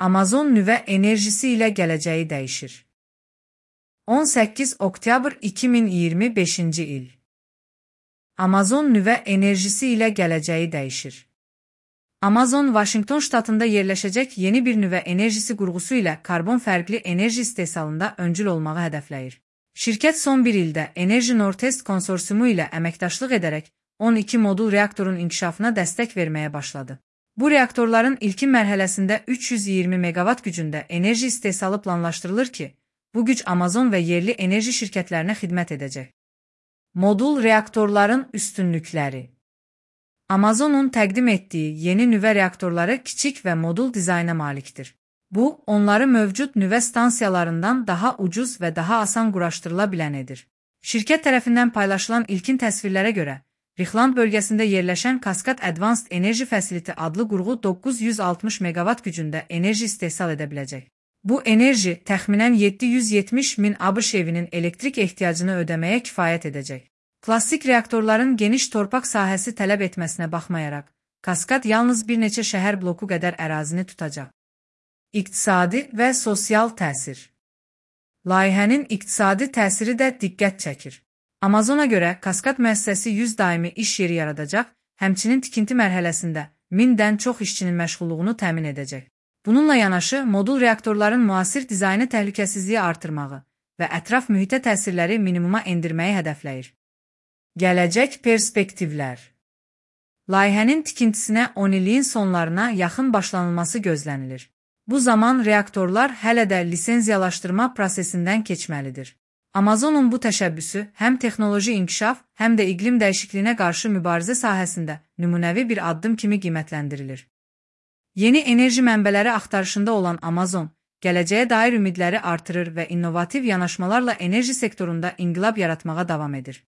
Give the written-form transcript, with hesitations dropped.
Amazon nüvə enerjisi ilə gələcəyi dəyişir. 18 oktyabr 2025-ci il. Amazon nüvə enerjisi ilə gələcəyi dəyişir. Amazon, Vaşinqton ştatında yerləşəcək yeni bir nüvə enerjisi qurğusu ilə karbon fərqli enerji istehsalında öncül olmağı hədəfləyir. Şirkət son bir ildə Energy Northwest konsorsiumu ilə əməkdaşlıq edərək 12 modul reaktorun inkişafına dəstək verməyə başladı. Bu reaktorların ilkin mərhələsində 320 megawatt gücündə enerji istehsalı planlaşdırılır ki, bu güc Amazon və yerli enerji şirkətlərinə xidmət edəcək. Modul reaktorların üstünlükləri. Amazonun təqdim etdiyi yeni nüvə reaktorları kiçik və modul dizayna malikdir. Bu, onları mövcud nüvə stansiyalarından daha ucuz və daha asan quraşdırıla bilən edir. Şirkət tərəfindən paylaşılan ilkin təsvirlərə görə, Richland bölgəsində yerləşən Cascade Advanced Energy Facility adlı qurğu 960 megawatt gücündə enerji istehsal edə biləcək. Bu enerji təxminən 770 min ABŞ evinin elektrik ehtiyacını ödəməyə kifayət edəcək. Klassik reaktorların geniş torpaq sahəsi tələb etməsinə baxmayaraq, Cascade yalnız bir neçə şəhər bloku qədər ərazini tutacaq. İqtisadi və sosial təsir. Layihənin iqtisadi təsiri də diqqət çəkir. Amazona görə Cascade müəssisəsi 100 daimi iş yeri yaradacaq, həmçinin tikinti mərhələsində 1000-dən çox işçinin məşğulluğunu təmin edəcək. Bununla yanaşı, modul reaktorların müasir dizaynı təhlükəsizliyi artırmağı və ətraf mühitə təsirləri minimuma endirməyi hədəfləyir. Gələcək perspektivlər. Layihənin tikintisinə 10 illiyin sonlarına yaxın başlanılması gözlənilir. Bu zaman reaktorlar hələ də lisenziyalaşdırma prosesindən keçməlidir. Amazonun bu təşəbbüsü həm texnoloji inkişaf, həm də iqlim dəyişikliyinə qarşı mübarizə sahəsində nümunəvi bir addım kimi qiymətləndirilir. Yeni enerji mənbələri axtarışında olan Amazon, gələcəyə dair ümidləri artırır və innovativ yanaşmalarla enerji sektorunda inqilab yaratmağa davam edir.